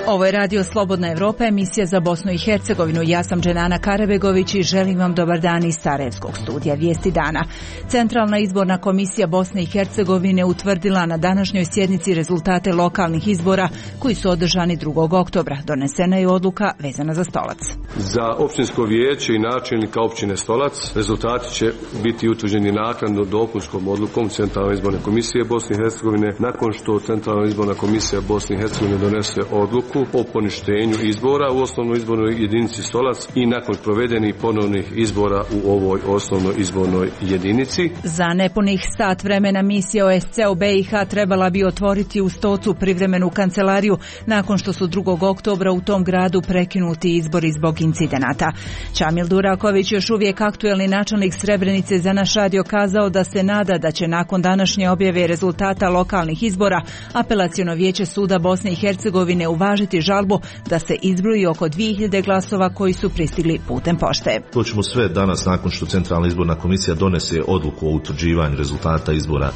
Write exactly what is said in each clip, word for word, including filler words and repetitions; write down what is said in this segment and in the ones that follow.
Ovo je Radio Slobodna Evropa, emisija za Bosnu i Hercegovinu. Ja sam Dženana Karabegović i želim vam dobar dan iz Sarajevskog studija Vijesti dana. Centralna izborna komisija Bosne i Hercegovine utvrdila na današnjoj sjednici rezultate lokalnih izbora koji su održani drugog oktobra. Donesena je odluka vezana za Stolac. Za općinsko vijeće i načelnika općine Stolac rezultati će biti utvrđeni naknadno dopunskom odlukom Centralne izborne komisije Bosne i Hercegovine nakon što Centralna izborna komisija Bosne i Hercegovine donese odluku o poništenju izbora u osnovnoj izbornoj jedinici Stolac i nakon provedenih ponovnih izbora u ovoj osnovnoj izbornoj jedinici. Za nepunih sat vremena misija O S C E u B i H trebala bi otvoriti u Stocu privremenu kancelariju nakon što su drugog oktobra u tom gradu prekinuti izbori zbog incidenata. Čamil Duraković, još uvijek aktuelni načelnik Srebrenice, za naš radio kazao da se nada da će nakon današnje objave rezultata lokalnih izbora Apelaciono vijeće suda Bosne i Hercegovine uvažiti žalbu da se izbroji oko dvije hiljade glasova koji su pristigli putem pošte. To ćemo sve danas nakon što Centralna izborna komisija donese odluku o utvrđivanju rezultata izbora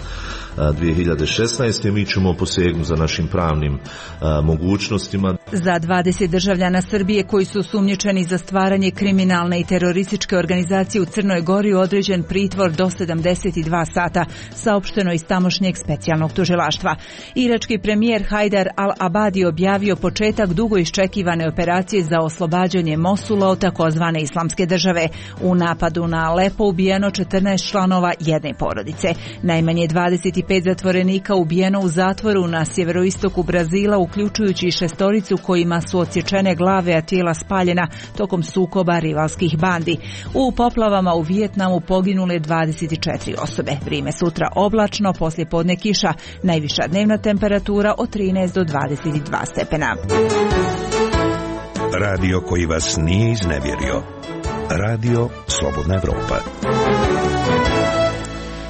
dvije hiljade šesnaeste. Mi ćemo posegnuti za našim pravnim a, mogućnostima. Za dvadeset državljana Srbije koji su sumnjičeni za stvaranje kriminalne i terorističke organizacije u Crnoj Gori određen pritvor do sedamdeset dva sata, saopšteno iz tamošnjeg specijalnog tužilaštva. Irački premijer Hajdar al-Abadi objavio početak dugo iščekivane operacije za oslobađanje Mosula od takozvane islamske države. U napadu na Alepo ubijeno četrnaest članova jedne porodice. Najmanje dvadeset pet zatvorenika ubijeno u zatvoru na sjeveroistoku Brazila, uključujući šestoricu kojima su odsječene glave, a tijela spaljena tokom sukoba rivalskih bandi. U poplavama u Vijetnamu poginule dvadeset četiri osobe. Vrijeme sutra oblačno, poslije podne kiša. Najviša dnevna temperatura od trinaest do dvadeset dva stepena. Radio koji vas nije iznevjerio. Radio Slobodna Evropa.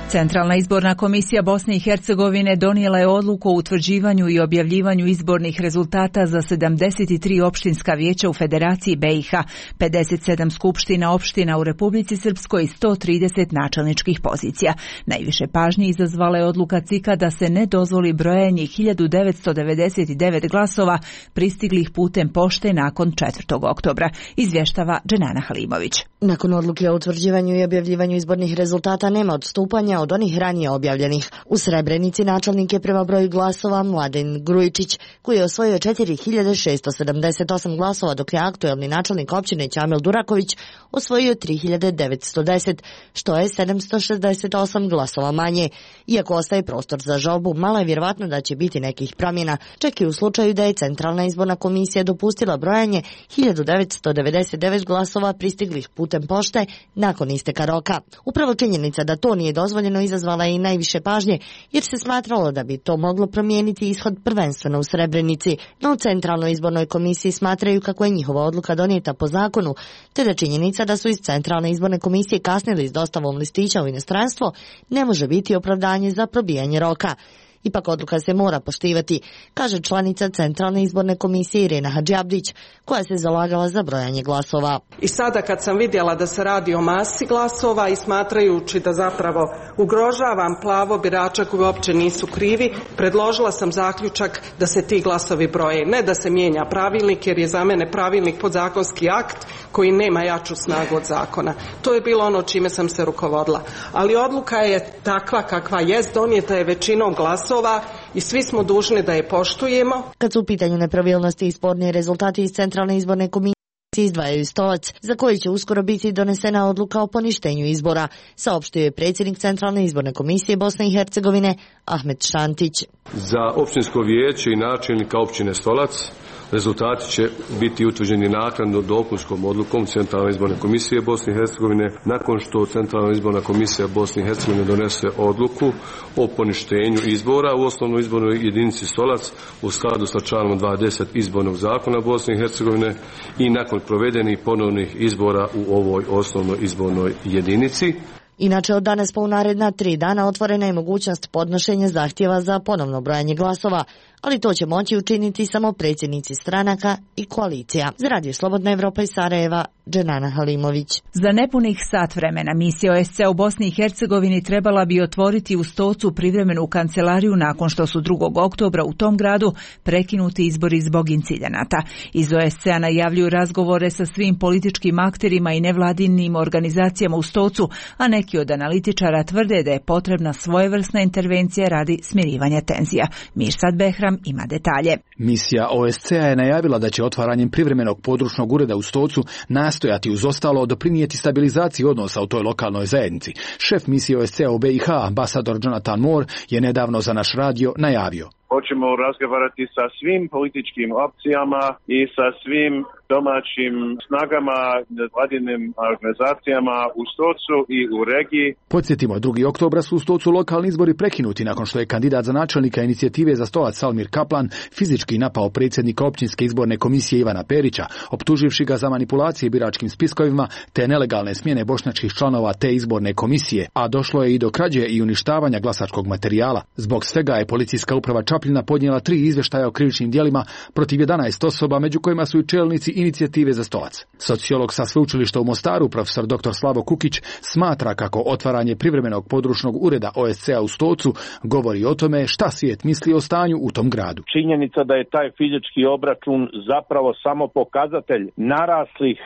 Centralna izborna komisija Bosne i Hercegovine donijela je odluku o utvrđivanju i objavljivanju izbornih rezultata za sedamdeset tri opštinska vijeća u Federaciji B i H, pedeset sedam skupština opština u Republici Srpskoj i sto trideset načelničkih pozicija. Najviše pažnje izazvala je odluka C I K-a da se ne dozvoli brojanje hiljadu devetsto devedeset devet glasova pristiglih putem pošte nakon četvrtog oktobra, izvještava Dženana Halimović. Nakon odluke o utvrđivanju i objavljivanju izbornih rezultata nema odstupanja od onih ranije objavljenih. U Srebrenici načelnik je prema broju glasova Mladen Grujičić, koji je osvojio četiri hiljade šesto sedamdeset osam glasova, dok je aktuelni načelnik općine Čamil Duraković osvojio tri hiljade devetsto deset, što je sedamsto šezdeset osam glasova manje. Iako ostaje prostor za žalbu, malo je vjerovatno da će biti nekih promjena, čak i u slučaju da je Centralna izborna komisija dopustila brojanje hiljadu devetsto devedeset devet glasova pristiglih putem pošte nakon isteka roka. Upravo činjenica da to nije dozvoljeno izazvala je i najviše pažnje, jer se smatralo da bi to moglo promijeniti ishod prvenstveno u Srebrenici, no u Centralnoj izbornoj komisiji smatraju kako je njihova odluka donijeta po zakonu, te da činjenica da su iz Centralne izborne komisije kasnili s dostavom listića u inostranstvo ne može biti opravdanje za probijanje roka. Ipak odluka se mora poštivati, kaže članica Centralne izborne komisije Irena Hadžiabdić, koja se zalagala za brojanje glasova. I sada kad sam vidjela da se radi o masi glasova i smatrajući da zapravo ugrožavam pravo birača koji uopće nisu krivi, predložila sam zaključak da se ti glasovi broje. Ne da se mijenja pravilnik, jer je za mene pravilnik podzakonski akt koji nema jaču snagu od zakona. To je bilo ono čime sam se rukovodila. Ali odluka je takva kakva jest, donijeta je većinom glasova i svi smo dužni da je poštujemo. Kad su u pitanju nepravilnosti i sporni rezultati iz Centralne izborne komisije izdvajaju Stolac, za koji će uskoro biti donesena odluka o poništenju izbora, saopštio je predsjednik Centralne izborne komisije Bosne i Hercegovine Ahmet Šantić. Za općinsko vijeće i načelnika općine Stolac rezultati će biti utvrđeni naknadno dopunskom odlukom Centralne izborne komisije Bosne i Hercegovine nakon što Centralna izborna komisija Bosne i Hercegovine donese odluku o poništenju izbora u osnovnoj izbornoj jedinici Stolac u skladu sa članom dvadeset izbornog zakona Bosne i Hercegovine i nakon provedenih ponovnih izbora u ovoj osnovnoj izbornoj jedinici. Inače, od danas pa u naredna tri dana otvorena je mogućnost podnošenja zahtjeva za ponovno brojanje glasova, ali to će moći učiniti samo predsjednici stranaka i koalicija. Za Radio Slobodna Evropa iz Sarajeva, Dženana Halimović. Za nepunih sat vremena misija O S C E u Bosni i Hercegovini trebala bi otvoriti u Stocu privremenu kancelariju nakon što su drugog oktobra u tom gradu prekinuti izbori zbog incidenata. Iz O S C E-a najavljuju razgovore sa svim političkim akterima i nevladinim organizacijama u Stocu, a neki od analitičara tvrde da je potrebna svojevrsna intervencija radi smirivanja tenzija. Mirsad Behram ima detalje. Misija O S C E-a je najavila da će otvaranjem privremenog područnog ureda u Stocu nastojati uz ostalo doprinijeti stabilizaciji odnosa u toj lokalnoj zajednici. Šef misije O S C E-a u B i H, ambasador Jonathan Moore, je nedavno za naš radio najavio: hoćemo razgovarati sa svim političkim opcijama i sa svim domaćim snagama, vladinim organizacijama u Stocu i u regiji. Podsjetimo, drugog oktobra su u Stocu lokalni izbori prekinuti nakon što je kandidat za načelnika inicijative za Stolac Salmir Kaplan fizički napao predsjednika općinske izborne komisije Ivana Perića, optuživši ga za manipulacije biračkim spiskovima te nelegalne smjene bošnjačkih članova te izborne komisije, a došlo je i do krađe i uništavanja glasačkog materijala. Zbog svega je policijska uprava Čapljina podnijela tri izvještaja o krivičnim djelima protiv jedanaest osoba, među kojima su i čelnici inicijative za Stolac. Sociolog sa sveučilišta u Mostaru, profesor doktor Slavo Kukić, smatra kako otvaranje privremenog područnog ureda O S C E-a u Stocu govori o tome šta svijet misli o stanju u tom gradu. Činjenica da je taj fizički obračun zapravo samo pokazatelj naraslih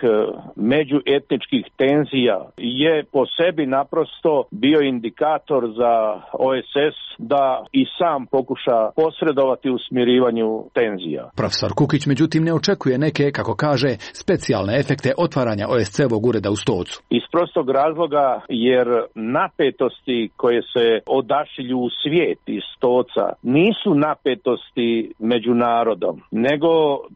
međuetničkih tenzija je po sebi naprosto bio indikator za O S S da i sam pokuša posredovati u smirivanju tenzija. Profesor Kukić međutim ne očekuje neke, kako kaže, specijalne efekte otvaranja O S C E-ovog ureda u Stocu. Iz prostog razloga jer napetosti koje se odašilju u svijet iz Stoca nisu napetosti među narodom, nego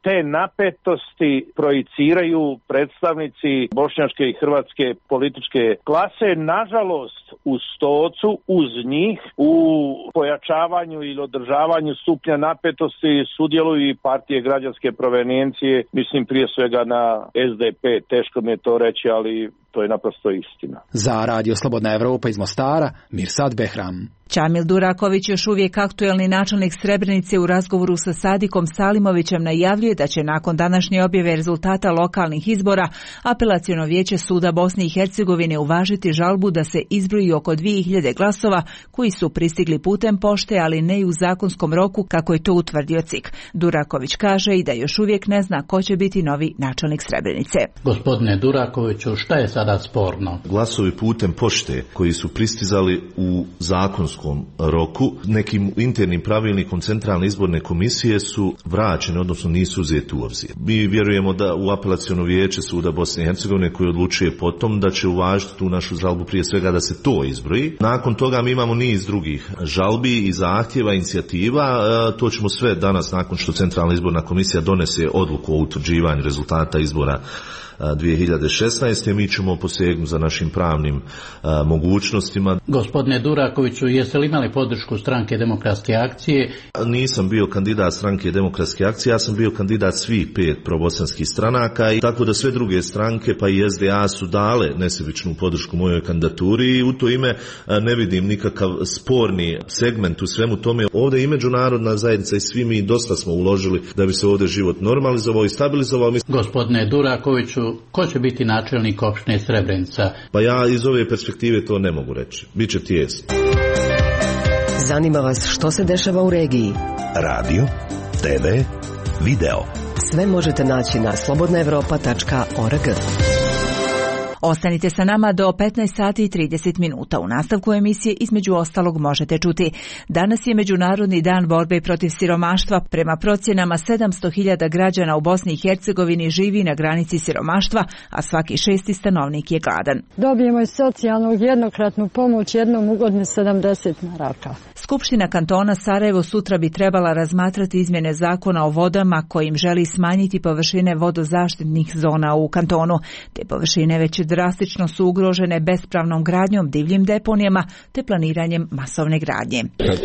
te napetosti projiciraju predstavnici bošnjačke i hrvatske političke klase. Nažalost, u Stocu uz njih u pojačavanju ili održavanju stupnja napetosti sudjeluju i partije građanske provenijencije, mislim prije svega na S D P, teško mi je to reći, ali to je naprosto istina. Za Radio Slobodna Evropa iz Mostara, Mirsad Behram. Čamil Duraković, još uvijek aktuelni načelnik Srebrenice, u razgovoru sa Sadikom Salimovićem najavljuje da će nakon današnje objave rezultata lokalnih izbora Apelaciono vijeće suda Bosne i Hercegovine uvažiti žalbu da se izbroji oko dvije hiljade glasova koji su pristigli putem pošte, ali ne i u zakonskom roku kako je to utvrdio C I K. Duraković kaže i da još uvijek ne zna ko će biti novi načelnik Srebrenice. Gospodine Durakoviću, šta je sada sporno? Glasovi putem pošte koji su pristizali u zakonskom roku nekim internim pravilnikom Centralne izborne komisije su vraćene, odnosno nisu uzeti u obzir. Mi vjerujemo da u Apelaciono vijeće suda Bosne i Hercegovine koji odlučuje potom da će uvažiti tu našu žalbu prije svega da se to izbroji. Nakon toga mi imamo niz drugih žalbi i zahtjeva, inicijativa. To ćemo sve danas, nakon što Centralna izborna komisija donese odluku o utvrđivanju rezultata izbora dvije hiljade šesnaeste. mi ćemo posegnuti za našim pravnim a, mogućnostima. Gospodine Durakoviću, jeste li imali podršku Stranke demokratske akcije? Nisam bio kandidat Stranke demokratske akcije, ja sam bio kandidat svih pet probosanskih stranaka, i tako da sve druge stranke pa i S D A su dale nesebičnu podršku mojoj kandidaturi i u to ime a, ne vidim nikakav sporni segment u svemu tome. Ovdje i međunarodna zajednica i svi mi dosta smo uložili da bi se ovdje život normalizovao i stabilizovao. Gospodine Durakoviću, ko će biti načelnik opštine Srebrenica? Pa ja iz ove perspektive to ne mogu reći. Biće tijesno. Zanima vas što se dešava u regiji? Radio, T V, video. Sve možete naći na slobodna evropa tačka org. Ostanite sa nama do petnaest sati i trideset minuta. U nastavku emisije između ostalog možete čuti: danas je Međunarodni dan borbe protiv siromaštva. Prema procjenama sedamsto hiljada građana u Bosni i Hercegovini živi na granici siromaštva, a svaki šesti stanovnik je gladan. Dobijemo i socijalnu jednokratnu pomoć jednom u godini sedamdeset maraka. Skupština kantona Sarajevo sutra bi trebala razmatrati izmjene zakona o vodama kojim želi smanjiti površine vodozaštitnih zona u kantonu. Te površine već drastično su ugrožene bespravnom gradnjom, divljim deponijama te planiranjem masovne gradnje. Kad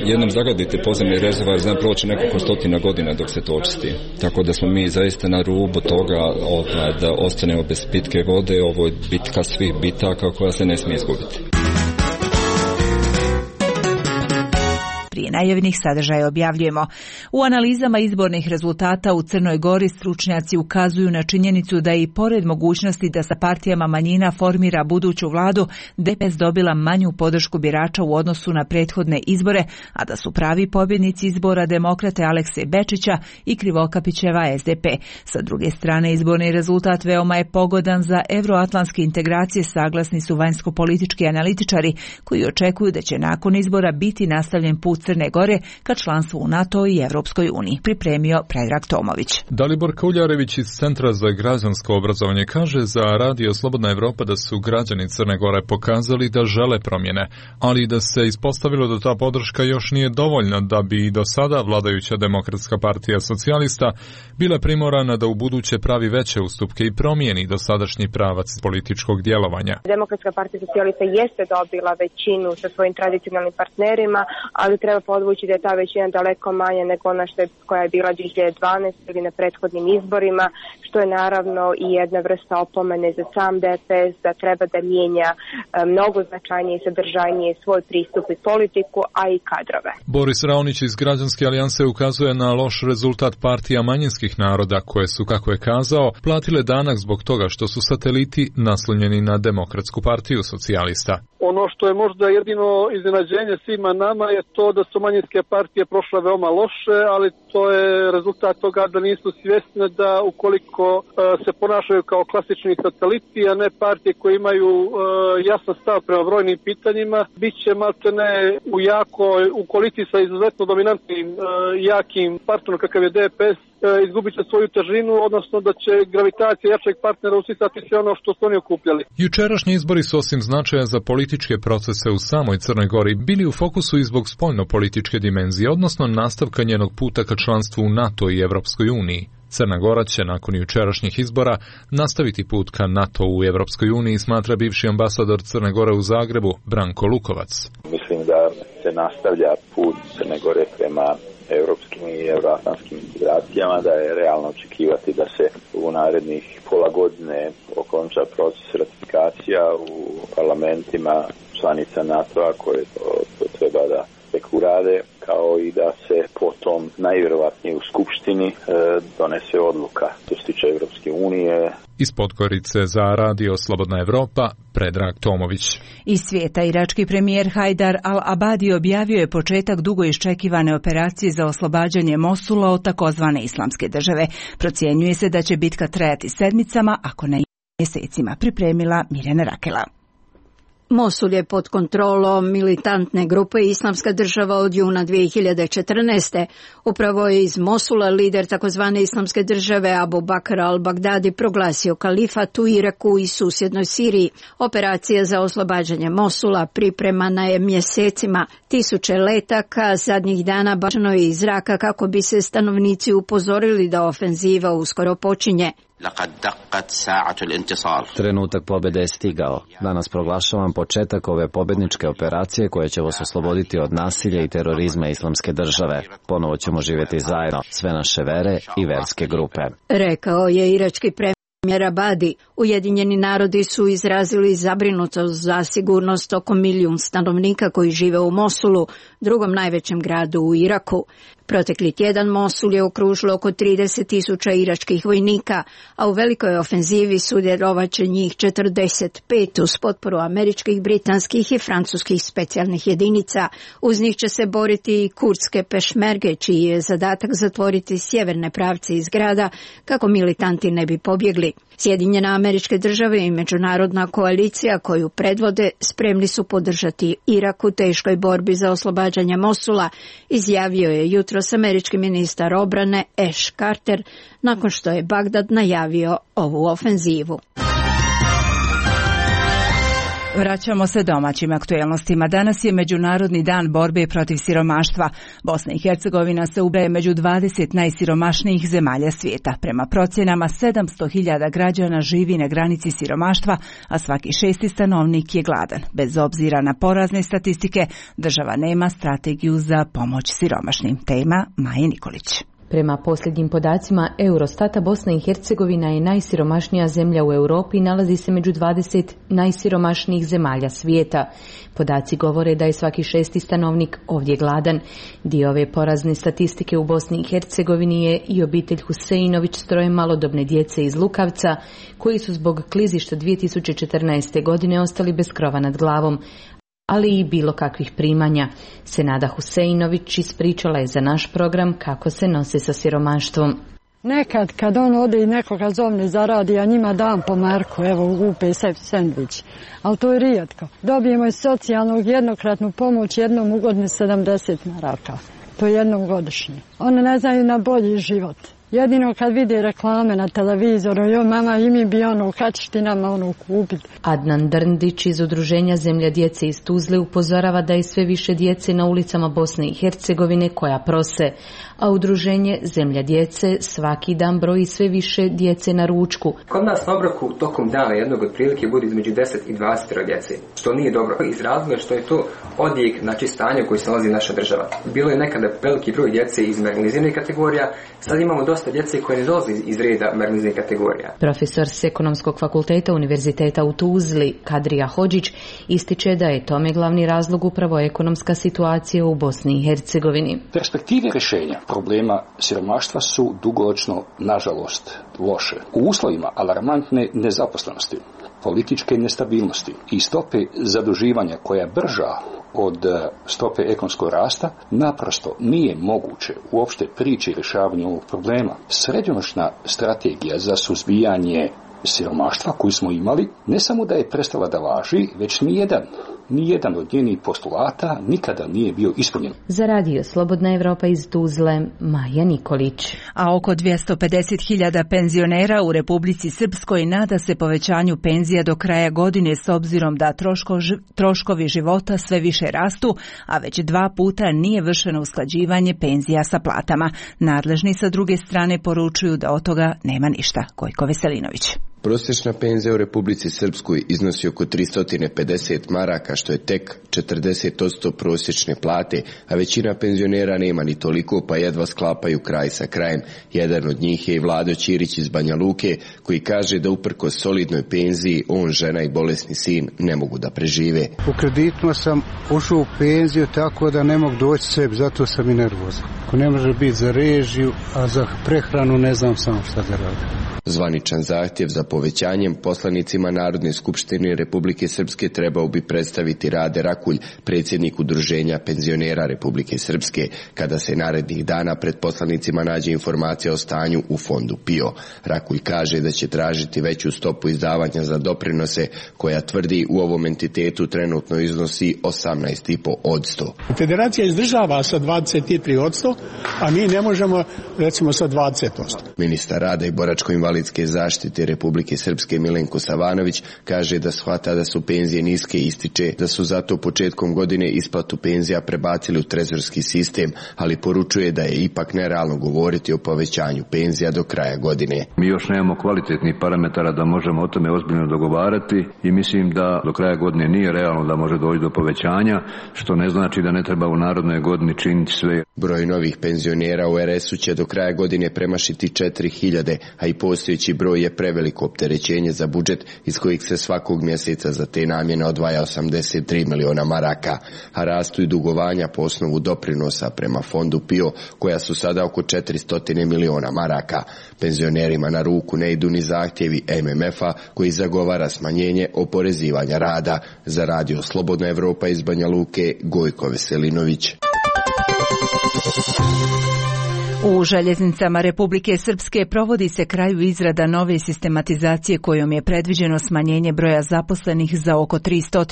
jednom zagadite podzemni rezervoar, znam proći nekoliko stotina godina dok se to očisti. Tako da smo mi zaista na rubu toga da ostanemo bez pitke vode. Ovo je bitka svih bitaka koja se ne smije izgubiti. prije najavljenih sadržaja objavljujemo. U analizama izbornih rezultata u Crnoj Gori stručnjaci ukazuju na činjenicu da i pored mogućnosti da sa partijama manjina formira buduću vladu, D P S dobila manju podršku birača u odnosu na prethodne izbore, a da su pravi pobjednici izbora demokrate Alekse Bečića i Krivokapićeva S D P. Sa druge strane, izborni rezultat veoma je pogodan za evroatlantske integracije, saglasni su vanjsko-politički analitičari koji očekuju da će nakon izbora biti nastavljen put Crne Gore ka članstvu u NATO i Evropskoj uniji, pripremio Predrag Tomović. Dalibor Kuljarević iz Centra za građansko obrazovanje kaže za Radio Slobodna Evropa da su građani Crne Gore pokazali da žele promjene, ali da se ispostavilo da ta podrška još nije dovoljna da bi i do sada vladajuća Demokratska partija socijalista bila primorana da u buduće pravi veće ustupke i promijeni dosadašnji pravac političkog djelovanja. Demokratska partija socijalista jeste dobila većinu sa svojim tradicionalnim partnerima, ali treba podvući da je ta većina daleko manja nego ona što je, koja je bila dvije hiljade dvanaeste. ili na prethodnim izborima, što je naravno i jedna vrsta opomene za sam D P S da treba da mijenja mnogo značajnije i sadržajnije svoj pristup i politiku, a i kadrove. Boris Raonić iz Građanske alijanse ukazuje na loš rezultat partija manjinskih naroda koje su, kako je kazao, platile danak zbog toga što su sateliti naslonjeni na Demokratsku partiju socijalista. Ono što je možda jedino iznenađenje svima nama je to da su manjinske partije prošle veoma loše, ali to je rezultat toga da nisu svjesne da ukoliko uh, se ponašaju kao klasični sateliti, a ne partije koje imaju uh, jasan stav prema brojnim pitanjima, bit će maltene u jako, u koaliciji sa izuzetno dominantnim uh, jakim partnerom kakav je D P S, izgubit će svoju težinu, odnosno da će gravitacija jačeg partnera usisati sve ono što su oni okupljali. Jučerašnji izbori su osim značaja za političke procese u samoj Crnoj Gori bili u fokusu i zbog spoljno-političke dimenzije, odnosno nastavka njenog puta ka članstvu u NATO i Evropskoj uniji. Crna Gora će nakon jučerašnjih izbora nastaviti put ka NATO u Evropskoj uniji, smatra bivši ambasador Crne Gore u Zagrebu Branko Lukovac. Mislim da se nastavlja put Crne Gore prema europskim i euroatlantskim integracijama, da je realno očekivati da se u narednih pola godine okonča proces ratifikacija u parlamentima članica NATO-a koje to, to treba da tek urade, kao i da se potom najvjerovatnije u Skupštini e, donese odluka što se tiče Evropske unije. Iz Podgorice za Radio Slobodna Evropa, Predrag Tomović. Iz svijeta irački premijer Hajdar al-Abadi objavio je početak dugo iščekivane operacije za oslobađanje Mosula od takozvane islamske države. Procjenjuje se da će bitka trajati sedmicama, ako ne mjesecima, pripremila Mirjana Rakela. Mosul je pod kontrolom militantne grupe Islamska država od juna dvije hiljade četrnaeste. Upravo je iz Mosula lider takozvane Islamske države Abu Bakr al-Baghdadi proglasio kalifat u Iraku i susjednoj Siriji. Operacija za oslobađanje Mosula pripremana je mjesecima. Tisuće letaka zadnjih dana bačeno je iz zraka kako bi se stanovnici upozorili da ofenziva uskoro počinje. Trenutak pobjede je stigao. Danas proglašavam početak ove pobjedničke operacije koje će vas osloboditi od nasilja i terorizma Islamske države. Ponovo ćemo živjeti zajedno, sve naše vere i verske grupe. Rekao je irački premijer Abadi. Ujedinjeni narodi su izrazili zabrinutost za sigurnost oko milijun stanovnika koji žive u Mosulu, drugom najvećem gradu u Iraku. Protekli tjedan Mosul je okružilo oko trideset tisuća iračkih vojnika, a u velikoj ofenzivi sudjelovat će njih četrdeset pet uz potporu američkih, britanskih i francuskih specijalnih jedinica. Uz njih će se boriti i kurdske pešmerge, čiji je zadatak zatvoriti sjeverne pravce iz grada kako militanti ne bi pobjegli. Sjedinjene Američke države i međunarodna koalicija koju predvode spremni su podržati Irak u teškoj borbi za oslobađanje Mosula, izjavio je jutros američki ministar obrane Ash Carter nakon što je Bagdad najavio ovu ofenzivu. Vraćamo se domaćim aktuelnostima. Danas je Međunarodni dan borbe protiv siromaštva. Bosna i Hercegovina se ubraja među dvadeset najsiromašnijih zemalja svijeta. Prema procjenama sedamsto hiljada građana živi na granici siromaštva, a svaki šesti stanovnik je gladan. Bez obzira na porazne statistike, država nema strategiju za pomoć siromašnim. Tema Maje Nikolić. Prema posljednjim podacima Eurostata, Bosna i Hercegovina je najsiromašnija zemlja u Europi i nalazi se među dvadeset najsiromašnijih zemalja svijeta. Podaci govore da je svaki šesti stanovnik ovdje gladan. Dio ove porazne statistike u Bosni i Hercegovini je i obitelj Huseinović s troje malodobne djece iz Lukavca, koji su zbog klizišta dvije tisuće četrnaeste. godine ostali bez krova nad glavom, ali i bilo kakvih primanja. Senada Huseinović ispričala je za naš program kako se nose sa siromaštvom. Nekad kad on ode i nekoga zovne zaradi, a njima dam po marku, evo upe sebi sendvič, ali to je rijetko. Dobijemo iz socijalnog jednokratnu pomoć jednom u godini sedamdeset maraka, to je jednom godišnje. One ne znaju na bolji život. Jedino kad vide reklame na televizoru, joj mama i mi bi ono, kad ćeš ti nama ono kupiti. Adnan Drndić iz Udruženja Zemlja djece iz Tuzle upozorava da je sve više djece na ulicama Bosne i Hercegovine koja prose, a Udruženje Zemlja djece svaki dan broji sve više djece na ručku. Kod nas na obroku tokom dana jednog otprilike bude između deset i dvadeset djece, što nije dobro. Iz razloga što je to odjek, znači stanje u koji se nalazi naša država. Bilo je nekada veliki broj djece iz marginaliziranih kategorija, sad imamo dosta djece koje ne dolaze iz reda marginaliziranih kategorija. Profesor s Ekonomskog fakulteta Univerziteta u Tuzli, Kadrija Hodžić, ističe da je tome glavni razlog upravo ekonomska situacija u Bosni i Hercegovini. Perspektive rješenja problema siromaštva su dugoročno, nažalost, loše. U uslovima alarmantne nezaposlenosti, političke nestabilnosti i stope zaduživanja koja je brža od stope ekonomskog rasta, naprosto nije moguće uopšte prići rješavanju ovog problema. Srednjoročna strategija za suzbijanje siromaštva koju smo imali, ne samo da je prestala da važi, već nijedan, nijedan od njenih postulata nikada nije bio ispunjen. Za radio Slobodna Evropa iz Tuzle, Maja Nikolić. A oko dvjesto pedeset hiljada penzionera u Republici Srpskoj nada se povećanju penzija do kraja godine s obzirom da troško, troškovi života sve više rastu, a već dva puta nije vršeno usklađivanje penzija sa platama. Nadležni sa druge strane poručuju da od toga nema ništa. Gojko Veselinović. Prosječna penzija u Republici Srpskoj iznosi oko tristo pedeset maraka, što je tek četrdeset posto prosječne plate, a većina penzionera nema ni toliko, pa jedva sklapaju kraj sa krajem. Jedan od njih je i Vlado Ćirić iz Banja Luke, koji kaže da uprkos solidnoj penziji, on, žena i bolesni sin ne mogu da prežive. U kreditima sam ušao u penziju tako da ne mogu doći sebi, zato sam i nervozan. Ako ne može biti za režiju, a za prehranu ne znam samo šta da radim. Zvaničan zahtjev za povećanjem poslanicima Narodne skupštine Republike Srpske trebao bi predstaviti Rade Rakulj, predsjednik Udruženja penzionera Republike Srpske, kada se narednih dana pred poslanicima nađe informacija o stanju u fondu P I O. Rakulj kaže da će tražiti veću stopu izdavanja za doprinose, koja tvrdi u ovom entitetu trenutno iznosi osamnaest zarez pet posto. Federacija izdržava sa dvadeset tri posto, a mi ne možemo recimo sa dvadeset posto. Ministar rada i boračko-invalidske zaštite Republike Srpske Milenko Savanović kaže da shvata da su penzije niske i ističe da su zato početkom godine isplatu penzija prebacili u trezorski sistem, ali poručuje da je ipak nerealno govoriti o povećanju penzija do kraja godine. Mi još nemamo kvalitetnih parametara da možemo o tome ozbiljno dogovarati i mislim da do kraja godine nije realno da može doći do povećanja, što ne znači da ne treba u narodnoj godini činiti sve. Broj novih penzionera u er esu će do kraja godine premašiti četiri hiljade, a i postojeći broj je preveliko opterećenje za budžet iz kojih se svakog mjeseca za te namjene odvaja osamdeset tri miliona maraka, a rastu i dugovanja po osnovu doprinosa prema fondu P I O, koja su sada oko četiristo miliona maraka. Penzionerima na ruku ne idu ni zahtjevi em em ef-a koji zagovara smanjenje oporezivanja rada. Za radio Slobodna Evropa iz Banja Luke, Gojko Veselinović. U željeznicama Republike Srpske provodi se kraju izrada nove sistematizacije kojom je predviđeno smanjenje broja zaposlenih za oko tristo,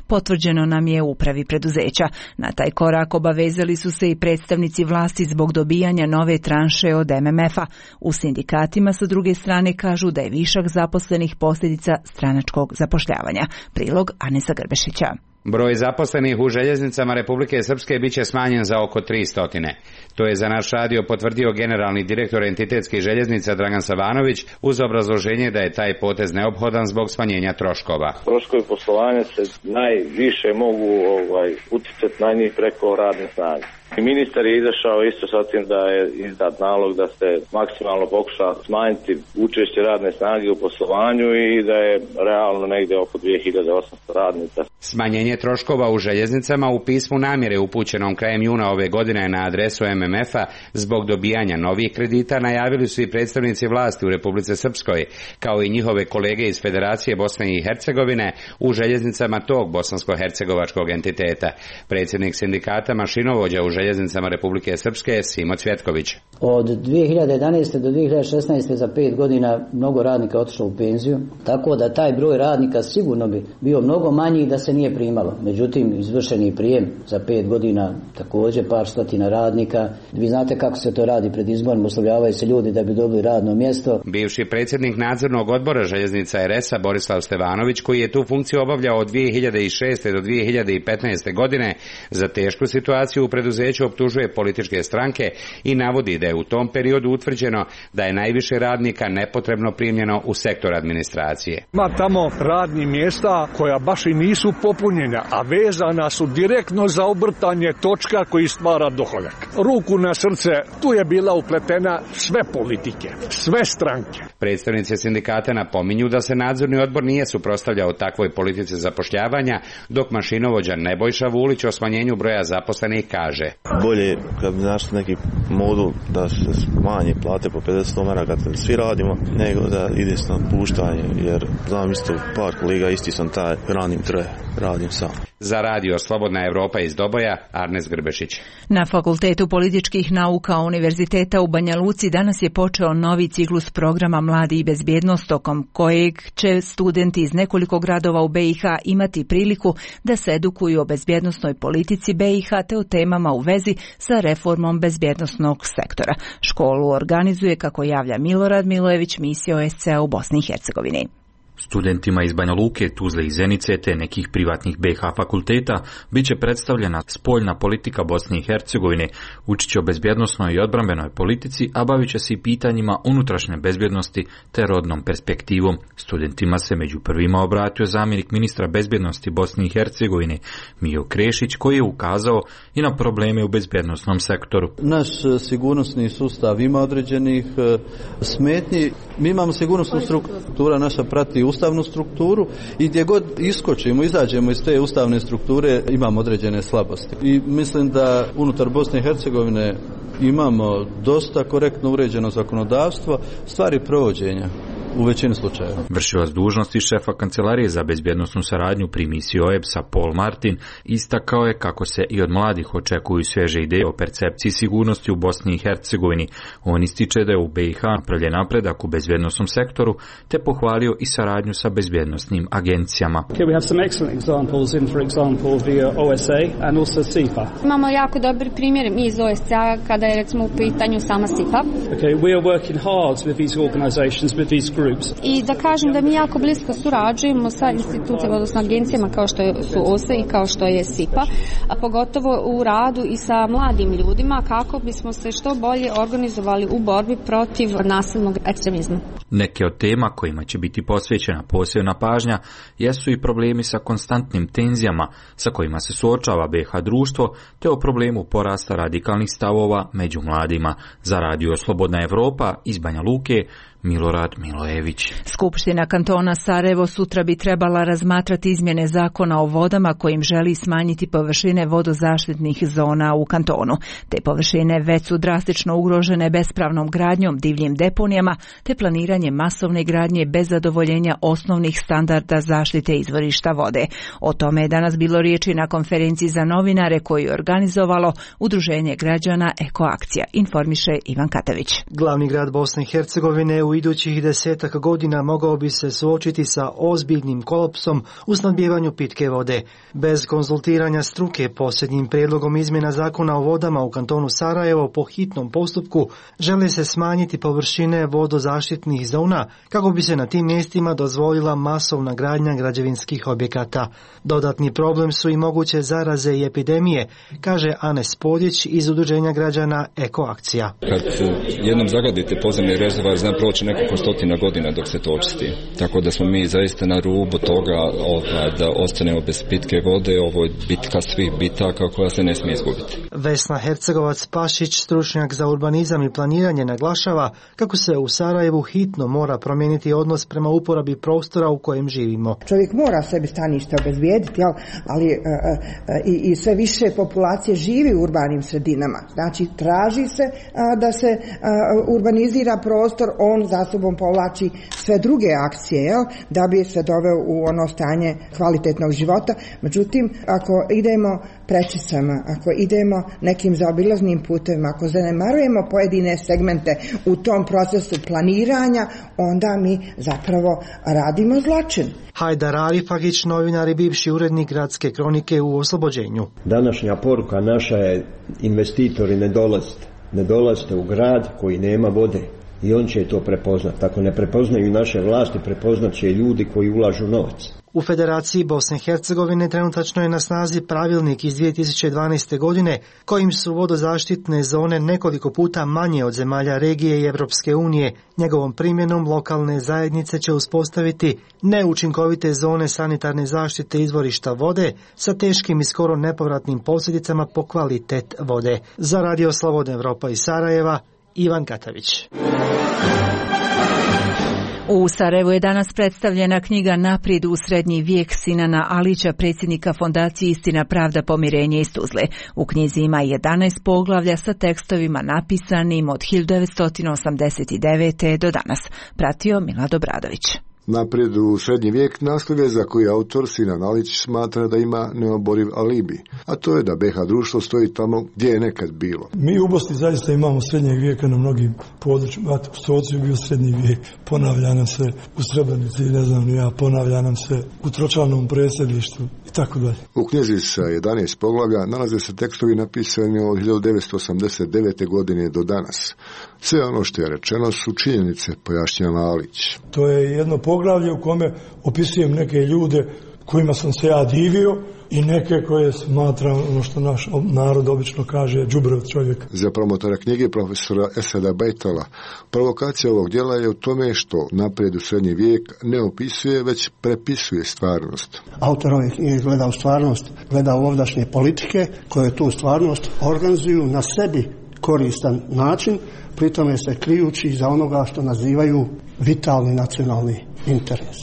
potvrđeno nam je u upravi preduzeća. Na taj korak obavezali su se i predstavnici vlasti zbog dobijanja nove tranše od em em ef-a. U sindikatima sa druge strane kažu da je višak zaposlenih posljedica stranačkog zapošljavanja. Prilog Anesa Grbešića. Broj zaposlenih u željeznicama Republike Srpske biće smanjen za oko tristo. To je za naš radio potvrdio generalni direktor entitetskih željeznica Dragan Savanović uz obrazloženje da je taj potez neophodan zbog smanjenja troškova. Troškovi poslovanja se najviše mogu ovaj, uticati na njih preko radne snage. Ministar je izašao isto sa tim da je izdat nalog da se maksimalno pokuša smanjiti učešće radne snage u poslovanju i da je realno negdje oko dvije hiljade osamsto radnika. Smanjenje troškova u željeznicama u pismu namjere upućenom krajem juna ove godine na adresu M M F-a zbog dobijanja novih kredita najavili su i predstavnici vlasti u Republici Srpskoj, kao i njihove kolege iz Federacije Bosne i Hercegovine u željeznicama tog bosansko-hercegovačkog entiteta. Predsjednik sindikata mašinovođa u željeznicama Republike Srpske Simo Cvjetković. Od dvije hiljade jedanaeste do dvije hiljade šesnaeste za pet godina mnogo radnika otišlo u penziju, tako da taj broj radnika sigurno bi bio mnogo manji da se nije primalo. Međutim, izvršeni prijem za pet godina također par stotina radnika. Vi znate kako se to radi pred izborom, uslovljavaju se ljudi da bi dobili radno mjesto. Bivši predsjednik nadzornog odbora željeznica R S-a Borislav Stevanović, koji je tu funkciju obavljao od dvije hiljade šeste do dvije hiljade petnaeste godine, za tešku situaciju u preduzeću optužuje političke stranke i navodi da je u tom periodu utvrđeno da je najviše radnika nepotrebno primljeno u sektor administracije. Ima tamo radnih mjesta koja baš i nisu popunjena, a vezana su direktno za obrtanje točka koji stvara dohodak. Ruku na srce, tu je bila upletena sve politike, sve stranke. Predstavnici sindikata napominju da se nadzorni odbor nije suprotstavljao takvoj politici zapošljavanja, dok mašinovođa Nebojša Vulić o smanjenju broja zaposlenih kaže: bolje kad bi našli neki modul da se smanje plate po pedeset maraka kad svi radimo, nego da ide se na puštanje, jer znam isto par kolega, isti sam taj, ranim troje, radim sam. Za radio Slobodna Evropa iz Doboja, Arnes Grbešić. Na Fakultetu političkih nauka Univerziteta u Banja Luci danas je počeo novi ciklus programa Mladi i bezbjednost, tokom kojeg će studenti iz nekoliko gradova u B i H imati priliku da se edukuju o bezbjednosnoj politici B i H te o temama u vezi sa reformom bezbjednosnog sektora. Školu organizuje, kako javlja Milorad Milojević, misija O S C-a u Bosni i Hercegovini. Studentima iz Banja Luke, Tuzle i Zenice te nekih privatnih B i H fakulteta bit će predstavljena spoljna politika Bosne i Hercegovine, učit će o bezbjednosnoj i odbrambenoj politici, a bavit će se i pitanjima unutrašnje bezbjednosti te rodnom perspektivom. Studentima se među prvima obratio zamjenik ministra bezbjednosti Bosne i Hercegovine Mijo Krešić, koji je ukazao i na probleme u bezbjednosnom sektoru. Naš sigurnosni sustav ima određenih smetnji. Mi imamo sigurnosnu strukturu, naša prati ustavnu strukturu i gdje god iskočimo, izađemo iz te ustavne strukture, imamo određene slabosti. I mislim da unutar Bosne i Hercegovine imamo dosta korektno uređeno zakonodavstvo, stvari provođenja u većini slučajeva. Vršilac dužnosti šefa Kancelarije za bezbjednosnu saradnju pri misiji O E B S-a Paul Martin istakao je kako se i od mladih očekuju svježe ideje o percepciji sigurnosti u Bosni i Hercegovini. On ističe da je u B i H napravljen napredak u bezbjednosnom sektoru, te pohvalio i saradnju sa bezbjednosnim agencijama. Imamo jako dobri primjer mi iz O S C-a kada je recimo u pitanju sama S I P A. Okay, we are working hard with these organizations, with these groups. I da kažem da mi jako blisko surađujemo sa institucijama, odnosno agencijama kao što su O S E i kao što je S I P A, a pogotovo u radu i sa mladim ljudima kako bismo se što bolje organizovali u borbi protiv nasilnog ekstremizma. Neke od tema kojima će biti posvećena posebna pažnja jesu i problemi sa konstantnim tenzijama sa kojima se suočava B i H društvo, te o problemu porasta radikalnih stavova među mladima. Za radio Slobodna Evropa iz Banja Luke, Milorad Milojević. Skupština kantona Sarajevo sutra bi trebala razmatrati izmjene zakona o vodama kojim želi smanjiti površine vodozaštitnih zona u kantonu. Te površine već su drastično ugrožene bespravnom gradnjom, divljim deponijama te planiranjem masovne gradnje bez zadovoljenja osnovnih standarda zaštite izvorišta vode. O tome je danas bilo riječi na konferenciji za novinare koju je organizovalo Udruženje građana Ekoakcija, informiše Ivan Katavić. Glavni grad Bosne i Hercegovine u idućih desetak godina mogao bi se suočiti sa ozbiljnim kolapsom u snabdijevanju pitke vode. Bez konzultiranja struke posljednjim prijedlogom izmjena zakona o vodama u kantonu Sarajevo po hitnom postupku žele se smanjiti površine vodozaštitnih zona kako bi se na tim mjestima dozvolila masovna gradnja građevinskih objekata. Dodatni problem su i moguće zaraze i epidemije, kaže Anes Poljić iz Udruženja građana Ekoakcija. Kad jednom zagadite podzemni rezervoar, zna proći proći nekoliko stotina godina dok se to očisti. Tako da smo mi zaista na rubu toga ovaj, da ostanemo bez pitke vode, ovo je bitka svih bitaka koja se ne smije izgubiti. Vesna Hercegovac-Pašić, stručnjak za urbanizam i planiranje, naglašava kako se u Sarajevu hitno mora promijeniti odnos prema uporabi prostora u kojem živimo. Čovjek mora sebi stanište obezbijediti, ali e, e, i, i sve više populacije živi u urbanim sredinama. Znači, traži se a, da se a, urbanizira prostor, on za sobom povlači sve druge akcije, jel, da bi se doveo u ono stanje kvalitetnog života. Međutim, ako idemo prečicama, ako idemo nekim zaobilaznim putevima, ako zanemarujemo pojedine segmente u tom procesu planiranja, onda mi zapravo radimo zločin. Hajdar Arifagić, novinar i bivši urednik Gradske kronike u oslobođenju. Današnja poruka naša je: investitori ne dolazite. Ne dolazite u grad koji nema vode. I on će to prepoznat. Ako ne prepoznaju naše vlasti, prepoznat će ljudi koji ulažu novac. U Federaciji Bosne i Hercegovine trenutačno je na snazi pravilnik iz dvije tisuće dvanaeste. godine kojim su vodozaštitne zone nekoliko puta manje od zemalja regije i Evropske unije. Njegovom primjenom lokalne zajednice će uspostaviti neučinkovite zone sanitarne zaštite izvorišta vode sa teškim i skoro nepovratnim posljedicama po kvalitet vode. Za Radio Slobodna Evropa iz Sarajeva, Ivan Katavić. U Sarajevu je danas predstavljena knjiga Naprijed u srednji vijek Sinana Alića, predsjednika fondacije Istina, pravda, pomirenje iz Tuzle. U knjizi ima jedanaest poglavlja sa tekstovima napisanim od hiljadu devetsto osamdeset devete. do danas. Pratio Milad Obradović. Naprijed u srednji vijek naslov je za koji autor Sinan Alić smatra da ima neoboriv alibi, a to je da B iH društvo stoji tamo gdje je nekad bilo. Mi u Bosni zaista imamo srednjeg vijeka na mnogim područjima. U Stocu je bio srednji vijek, ponavlja nam se u Srebrenici, ne znam ja, ponavlja nam se u Tročanom predsjedništvu i tako dalje. U knjizi sa jedanaest poglavlja nalaze se tekstovi napisani od hiljadu devetsto osamdeset devete. godine do danas. Sve ono što je rečeno su činjenice, pojašnjava Alić. To je jedno poglavlje u kome opisujem neke ljude kojima sam se ja divio i neke koje smatram, ono što naš narod obično kaže, đubrov čovjek. Za promotora knjige profesora Esada Bajtala, provokacija ovog djela je u tome što Naprijed u srednji vijek ne opisuje, već prepisuje stvarnost. Autor ove knjige gleda u stvarnost, gleda u ovdašnje politike koje tu stvarnost organizuju na sebi koristan način, pritome se krijući za onoga što nazivaju vitalni nacionalni interes.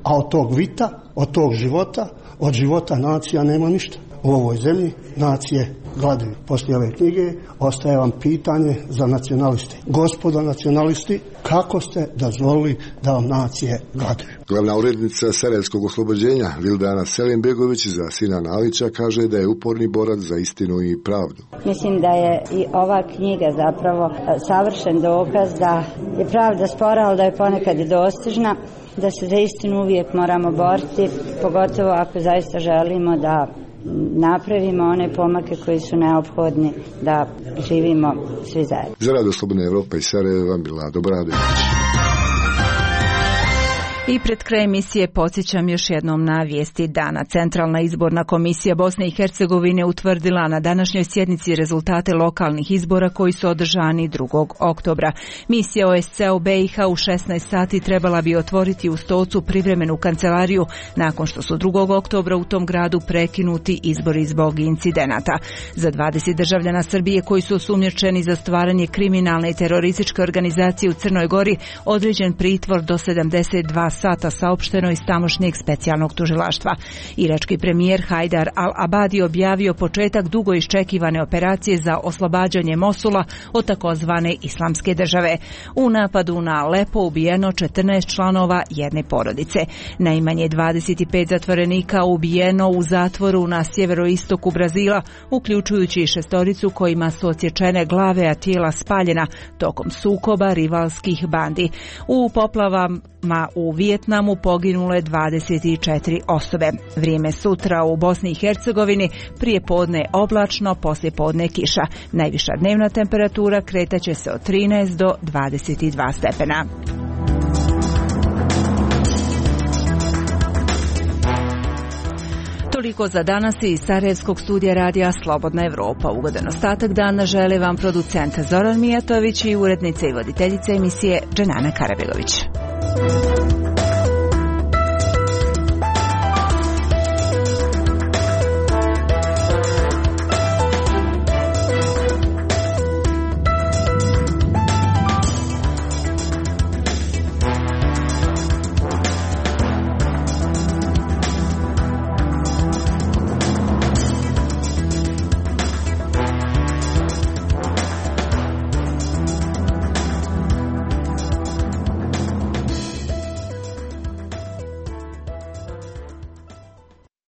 A od tog vita, od tog života, od života nacija nema ništa. U ovoj zemlji nacije gladuju. Poslije ove knjige ostaje vam pitanje za nacionaliste. Gospodo nacionalisti, kako ste dozvolili da vam nacije gladuju? Glavna urednica Sarajevskog oslobođenja Vildana Selimbegović za Sinana Alića kaže da je uporni borac za istinu i pravdu. Mislim da je i ova knjiga zapravo savršen dokaz da je pravda spora, ali da je ponekad i dostižna, da se za istinu uvijek moramo boriti, pogotovo ako zaista želimo da napravimo one pomake koji su neophodni da živimo svi zajedno. Za Radio Slobodna Evropa iz Sarajeva, Milad Obradović. I pred kraj emisije podsjećam još jednom na vijesti dana. Centralna izborna komisija Bosne i Hercegovine utvrdila na današnjoj sjednici rezultate lokalnih izbora koji su održani drugog oktobra. Misija O S C E u B iH u šesnaest sati trebala bi otvoriti u Stocu privremenu kancelariju nakon što su drugog oktobra u tom gradu prekinuti izbori zbog incidenata. Za dvadeset državljana Srbije koji su osumnjičeni za stvaranje kriminalne i terorističke organizacije u Crnoj Gori određen pritvor do sedamdeset dva sata, saopšteno iz tamošnjeg specijalnog tužilaštva. Irački premijer Hajdar al-Abadi objavio početak dugo iščekivane operacije za oslobađanje Mosula od takozvane islamske države. U napadu na Alepo ubijeno četrnaest članova jedne porodice. Najmanje dvadeset pet zatvorenika ubijeno u zatvoru na sjeveroistoku Brazila, uključujući i šestoricu kojima su odsječene glave, a tijela spaljena tokom sukoba rivalskih bandi. U poplavama u Vijetnamu poginule dvadeset četiri osobe. Vrijeme sutra u Bosni i Hercegovini: prije podne oblačno, poslije podne kiša. Najviša dnevna temperatura kretaće se od trinaest do dvadeset dva stepena. Toliko za danas iz Sarajevskog studija radija Slobodna Evropa. Ugodan ostatak dana žele vam producent Zoran Mijatović i urednica i voditeljica emisije Dženana Karabegović.